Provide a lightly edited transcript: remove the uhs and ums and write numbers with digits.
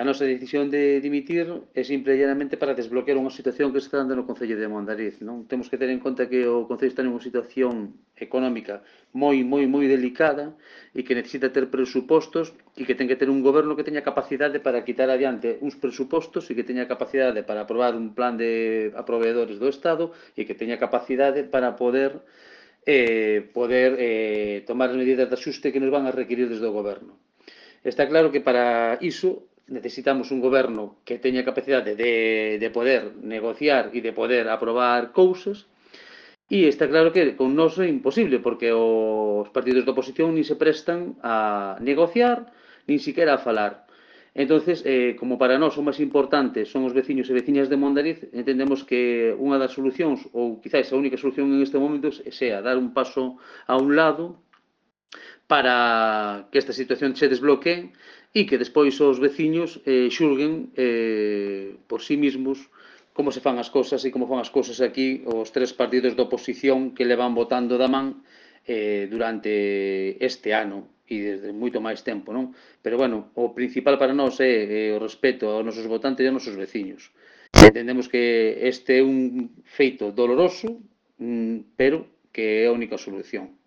A nosa decisión de dimitir é simple e llanamente para desbloquear unha situación que se está dando no Concello de Mondariz, non? Temos que ter en conta que o Concello está nunha situación económica moi delicada e que necesita ter presupostos e que ten que ter un goberno que teña capacidade para quitar adiante uns presupostos e que teña capacidade para aprobar un plan a proveedores do Estado e que teña capacidade para poder tomar as medidas de axuste que nos van a requerir desde o goberno. Está claro que para iso necesitamos un goberno que teña capacidade de poder negociar e de poder aprobar cousas, e está claro que con nós é imposible, porque os partidos da oposición nin se prestan a negociar, nin siquiera a falar. Entonces, como para nós o máis importante son os veciños e veciñas de Mondariz, entendemos que unha das solucións, ou quizás a única solución en este momento, sea dar un paso a un lado para que esta situación se desbloquee e que despois os veciños xulguen por sí mesmos como se fan as cousas e como fan as cousas aquí os tres partidos da oposición que levan votando da man durante este ano e desde moito máis tempo, non? Pero, bueno, o principal para nós é o respeto aos nosos votantes e aos nosos veciños. Entendemos que este é un feito doloroso, pero que é a única solución.